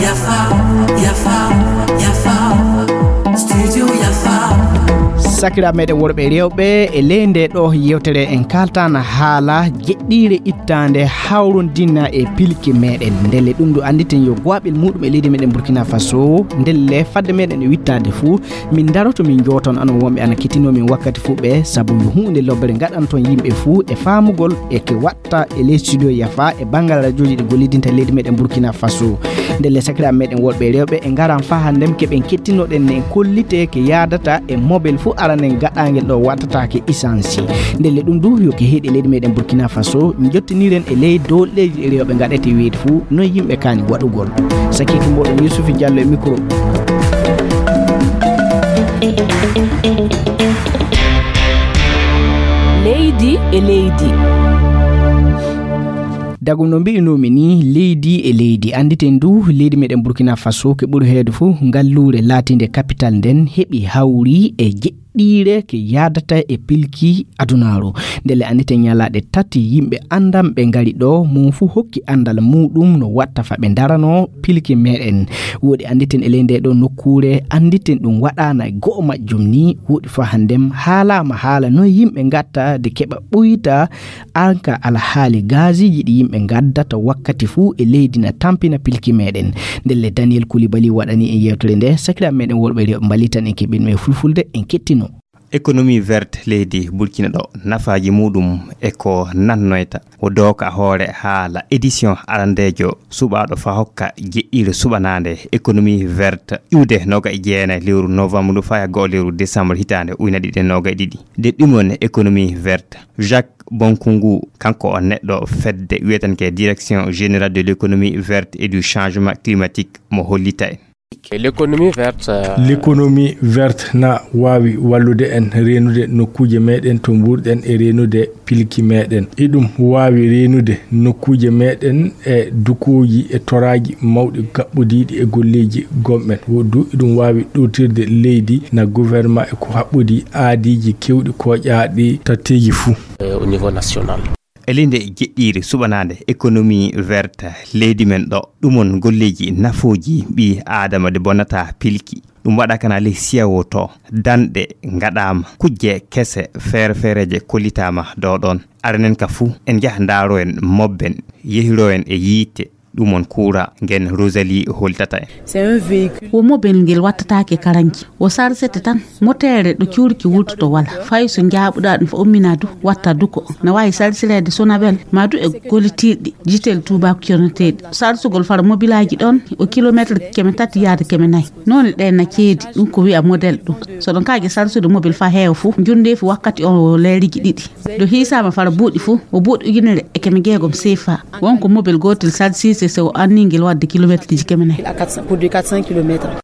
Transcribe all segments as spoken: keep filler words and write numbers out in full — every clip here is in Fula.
Yafa, yafa, yafa. Studio yafa. Sakiraaɓe meɗen worɓe e rewɓe, e ley nde ɗo yewtere en kaltana haala jeɗɗiire ittaande hawrondina e pilki meɗen. Ndelle ɗum ɗo annditen yo goaɓel muɗum e leydi meɗen Burkina Faso. Ndelle fadde meɗen e wittaade fuu, min daroto min jooton anon wonɓe ana kettinoo min wakkati fuu ɓe, sabu yo huunde lobbere ngaɗanton yimɓe fuu e faamugol e ke waɗ ta e ley studio yafa e banngal radiooji ɗi gollidinta leydi meɗen Burkina Faso. Ndelle sakiraaɓe meɗen worɓe e rewɓe e ngaran faa hannden keɓen kettinoɗen nen kollite ke yaadata e mobel fuu aranen gaɗaangel ɗo wattataake isansi. Ndelle ɗum du yo ke heedi e leydi meɗen Burkina Faso, jottiniren e ley dow leydi e rewɓe ngaɗete wiide fuu noon yimɓe kaani waɗugol. Sakiiki mooɗon Yusufi Diallo e micro. Leydi e leydi. Dagum no mbi'inoomi ni, leydi e leydi. Annditen du, leydi meɗen Burkina Faso, ke ɓuri heewde fof, ngalluure laatiinde capital nden, heɓi hawri e jeɗɗiire ke yaadata e pilki adunaaru. Ndelle annditen ñalaaɗe tati yimɓe anndanɓe ngari ɗo, mum fof hokki anndal muɗum no watta fa ɓe ndaranoo pilki meɗen. Woɗi annditen e ley nde ɗo nokkuure, annditen ɗum waɗaana e go'o majjum ni, woɗi fa hanndem haalaama haala noy yimɓe ngatta de keɓa ɓuyta anka alhaali gaziiji ɗi yimɓe ngaddata wakkati fuu e leydi na tampina pilki meɗen. Ndelle Daniel Koulibaly waɗani en yewtere nde, sakiraaɓe meɗen worɓe rewɓe mballitan en keɓin e fulfulde en kettino. Économie verte leydi Burkina ɗo, nafaaji muɗum e ko nannoyta. O dooka hoore haala édition arandeejo suɓaaɗo fa hokka jeɗɗiire suɓanaande économie verte iwde noga e jeenayi lewru novembre ndu faya go'o lewru décembre hitaande ujunere ɗiɗi e noga e ɗiɗi. Nde ɗumon économie verte, Jacques Bonkungu, kanko o neɗɗo fedde wiyetenke Direction Générale de l'Économie Verte et du Changement Climatique mo hollita en. L'économie verte, euh, l'économie verte na waawi wallude en reenude nokkuuje meɗen to mbuurɗen e reenude pilki meɗen. Iɗum waawi reenude nokkuuje meɗen e dukooji e toraaji mawɗi gaɓɓodiiɗi e golleeji gomɗen. Wo du iɗum waawi ɗowtirde leydi na gouvernement e ko haɓɓodi aadiiji kewɗi kooƴaaɗi tatteeji fuu. Euh, au niveau national. E ley nde jeɗɗiire suɓanaande économie verte leydi men ɗo, ɗumon golleeji nafooji ɓii aadama ɗi bonnataa pilki. Ɗum waɗa kana ley siyawo to, danɗe ngaɗaama, kujje kese feere-feereeje kollitaama ɗo ɗoon. Aranen ka fuu, en njaha ndaaroyen mobben, yehiroyen e yiite, ɗumon kuura ngen Rosalie holtata en. C'est un véhicule. Wo mobel ngel wattataake karanji. Wo sarsete tan. Moteere ɗo cuurki wurtoto wala. Fay so njaaɓuɗaa ɗum fa ummina du, watta duko. Na waawi sarsireede sonabel, ma du e gollitirɗi, jitel tuubaako corneteeɗi. Sarsugol fara mobilaaji ɗon, o kilomeetre keme tati yaade keme nayi. Noone ɗe na ceedi, ɗum ko wi'a model ɗum. So ɗon kaaje sarsude mobil fa heewa fu, njundeefi wakkati on wo leeriji ɗiɗi. Ɗo hiisaama fara buuɗi fu, o buuɗi ujunere e keme jeegom seefa. Won ko mobil gootel sarsirte so o anningel wadde kilomeetreji keme nayi. Pour du quatre cents kilomètres.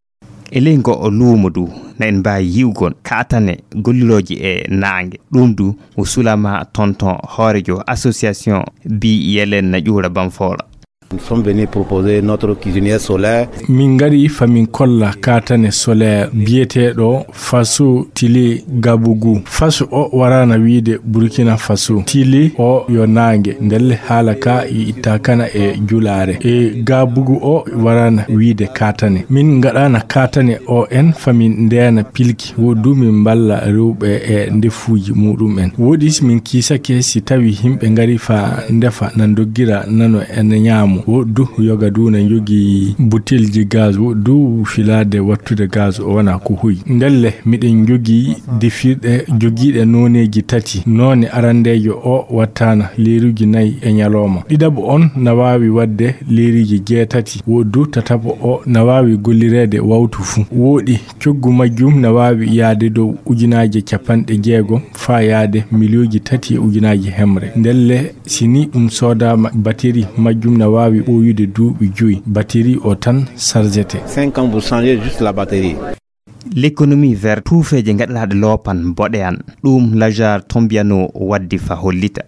E ley ngo o luumo du, na en mbaawi yi'ugol kaatane gollirooje e naange. Ɗum du, o sulama tonton hoorejo association bi Yelen na ƴuura Bamfoola. Nous sommes venus proposer notre cuisinière solaire. Min ngari fa min kolla kaatane solaire biyeteeɗo Faso Tili Gabugu. Faso o warana wiide Burkina Faso. Tili o yo naange. Ndelle haala ka i itta kana e julaare. E Gabugu o warana wiide kaatane. Min ngaɗana kaatane o en fa min ndeena pilki. Wo du min mballa rewɓe e ndefuuji muɗum en. Woɗi si min kiisake si tawi yimɓe ngari fa ndefa na ndoggira nano en ñaamo. Wo du yoga du na njogi butelji gaz. Wo du filaade wattude gaz o wona ko hoyi. Ndelle miɗen njogi defirɗe jogiiɗe nooneeji tati. Noone arandeejo o wattana leeruji nayi e ñalooma. Ɗiɗaɓo on na waawi waɗde leeruji jeetati. Wo du tataɓo o na waawi gollireede wawtu fuu. Wooɗi, coggu majjum na waawi yaade dow ujunaaje capanɗe jeegom faa yaade miliyooji tati e ujunaaje hemre. Ndelle, si ni ɗum soodaama, bateri majjum na waawi ɓooyude duuɓi joyi. Bateri o tan sarjete. Cinq ans, vous changez juste la batterie. L'économie verte, tuufeeje gaɗanaaɗe loopan boɗeyan, ɗum Lajar Tombiano waddi fa hollita.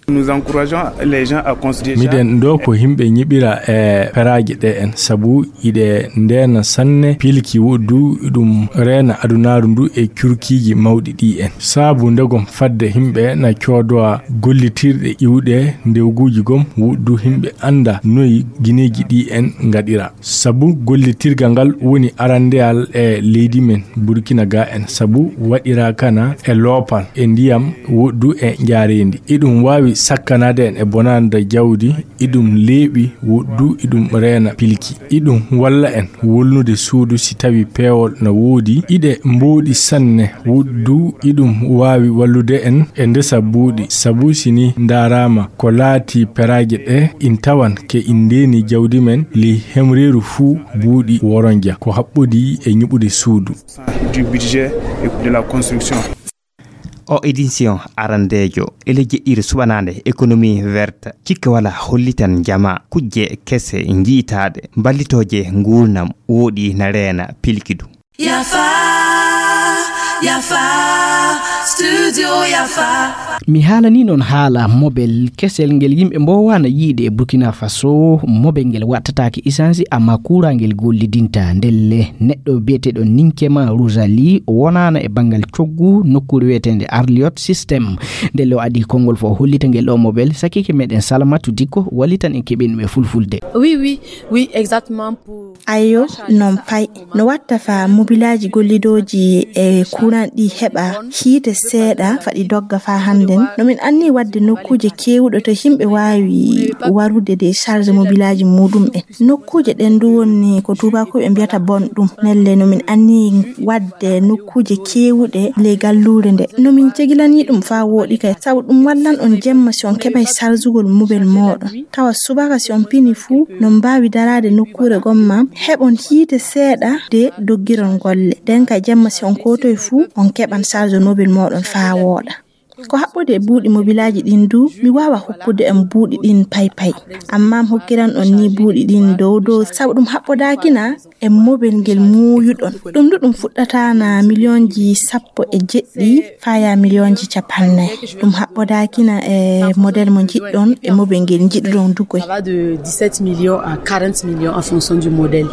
Nous encourageons les gens à construire. Miɗen ɗo ko yimɓe ñiɓira e peraaji ɗe en, sabu iɗe ndeena sanne pilki woɗɗu, iɗum reena adunaaru ndu e curkiiji mawɗi ɗi en. Sabu ndegom fadde yimɓe na coodowa gollitirɗe iwɗe ndewguuji gom woɗɗu yimɓe annda noyi gineeji ɗi en ngaɗira. Sabu gollitirga ngal woni arandeyal e leydi men Burkina ga en, sabu waɗira kana e loopal e ndiyam woɗɗu e njaareendi. Iɗum waawi sakkanade en e bonanda jawdi, iɗum leeɓi woɗɗu, iɗum reena pilki. Iɗum walla en wolnude suudu si tawi peewol na woodi. Iɗe mbooɗi sanne woɗɗu, iɗum waawi wallude en e ndesa buuɗi. Sabu si ni ndaaraama ko laati peraaje ɗe, in tawan ke in ndeeni jawdi men ley hemreeru fuu buuɗi woronja ko haɓɓodi e ñiɓude suudu. Du budget et de la construction. O édition arandeejo ele jeɗɗiire suɓanaande économie verte, cikke wala hollitan jama kujje kese njiytaaɗe, mballitooje nguurnam, woɗɗi na reena pilkidu. Yafa, yafa, studio yafa. Mi haalani noon haala mobel kesel ngel yimɓe mboowaana yiide e Burkina Faso. Mobel ngel waɗtataake isansi, amma kuuraa ngel gollidinta. Ndelle neɗɗo biyeteeɗo Ninkema Rosalie, o wonaana e banngal coggu nokkuure wiyeteende Arliot System. Ndelle o adii konngol fof hollita ngel ɗo mobel. Sakike meɗen Salamatu Dikko wallitan en keɓen ɗum e fulfulde. Oui, oui, oui, exactement. Pour Ayo, non pay. No watta fa mobilaaji gollidooji e kuran ɗi heɓa hiite seeɗa faɗi dogga fa hannden. No min anni wadde nokkuuje keewuɗo to yimɓe waawi warude de charge mobilaaji muɗum en. Nokkuuje ɗen du woni ko tuubakooɓe mbiyata bon ɗum. Nelle no min anni wadde nokkuuje keewuɗe ley galluure nde. No min cegilani ɗum fa wooɗi kay. Sabu ɗum wallan on jemma si on keɓay chargugol mobel mooɗon. Tawa subaka si on pini fuu, no mbaawi daraade nokkuure gomma, heɓon hiite seeɗa de doggiron golle. Nden ka jemma si on kootoy fuu, on keɓan charge mobile mooɗon faa wooɗa. Ko haɓɓude e buuɗi mobilaaji ɗin du, mi waawa hokkude on buuɗi ɗin pay pay. Amma mi hokkiran on ni buuɗi ɗin dow dow, sabu ɗum haɓɓodaakina e mobel ngel muuyuɗon. Ɗum du ɗum fuɗɗata na miliyonji sappo e jeɗɗi faya miliyonji capannay. Ɗum haɓɓodaakina e model mo njiɗɗon e mobel ngel njiɗuɗon du koy. Ça va de dix-sept millions à quarante millions en fonction du modèle.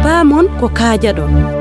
Paamon ko kaajaɗon.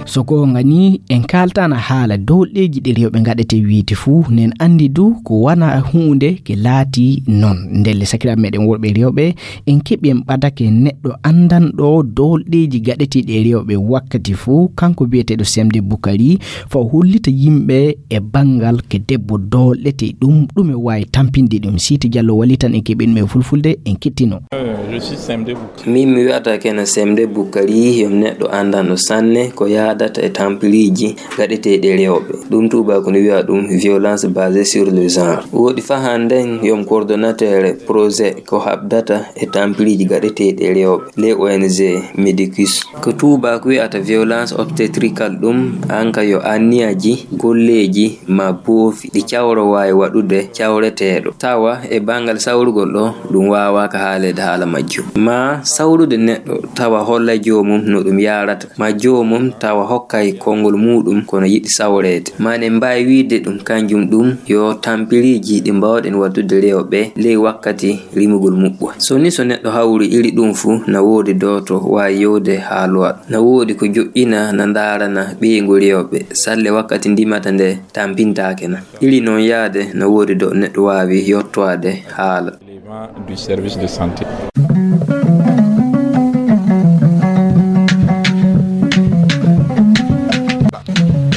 So goonga ni, en kaaltaana haala doolɗeeji ɗi rewɓe ngaɗete wiide fuu, nen anndi du ko wana huunde ke laati non. Ndelle sakiraaɓe meɗen worɓe e rewɓe, en keɓi en ɓadake neɗɗo anndanɗo doolɗeeji gaɗeteeɗi e rewɓe wakkati fuu, kanko biyeteeɗo Semde Bukari, fa o hollita yimɓe e banngal ke debbo doolɗete ɗum, ɗum e waawi tampinde ɗum. Siiti Jallo wallitan en keɓen ɗum e fulfulde, en kettino. Euh, je suis Semde Bukari. Min mi wi'ata kena Semde Bukari, yo neɗɗo anndanɗo sanne ko yaadata e tampiriiji gaɗeteeɗi e rewɓe. Ɗum tuubaaku no wi'a ɗum violence basée sur le genre. Woodi fa hannden yo mi coordonnateur projet ko haɓdata e tampiriiji gaɗeteeɗi e rewɓe, les O N G Medicus. Ko tuubaaku wi'ata violence obstétricale ɗum, an ka yo anniyaji, golleeji, ma boofi ɗi cawro waawi waɗude cawreteeɗo. Tawa e banngal sawrugol ɗo, ɗum waawaaka haaleede haala majjum. Ma sawrude neɗɗo tawa holla joomum no ɗum yaarata, ma joomum tawa hokkay konngol muuɗum kono yiɗi sawreede. Ma ne mbaawi wiide ɗum kanjum ɗum yo tampiriiji ɗi mbaawɗen waɗude rewɓe ley wakkati rimugol muɓɓo. So ni so neɗɗo hawri iri ɗum fuu, na woodi dooto waawi yewde haalowa. Na woodi ko joƴƴina na ndaarana ɓeyngu rewɓe, salle wakkati ndimata nde tampintaake na. Iri noon yaade na woodi do neɗɗo waawi yottoade haala. Élément du service de santé.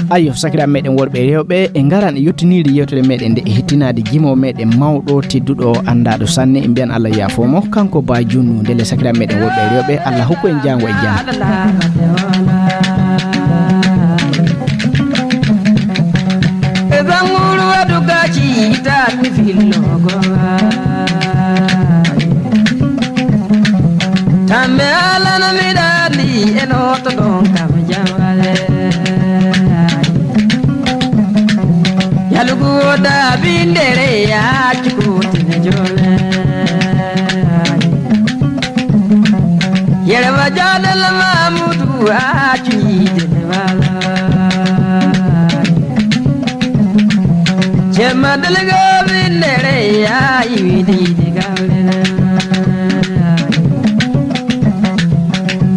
Ayo, sakiraaɓe meɗen worɓe e rewɓe, e ngaran e yettinirde yewtere meɗen nde e hettinaade jimo meɗen mawɗo tedduɗo anndaaɗo sanne, en mbiyan Allah yaafoo mo, kanko Ba Junnu. Ndelle sakiraaɓe meɗen worɓe e rewɓe, Allah hokku en jaango e jam. E zanguru waɗu gaci taat mi fillogo. Tambe alana mi ɗaɗi e loto ɗon kam jawale. Yalugu woda bindere ya cukutine jole. Yere wa jadal mamudu a Madalga vindere ya iwidi de galera.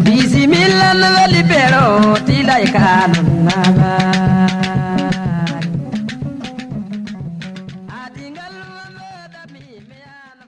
Bisimilla no vali pero tilai kanon naba.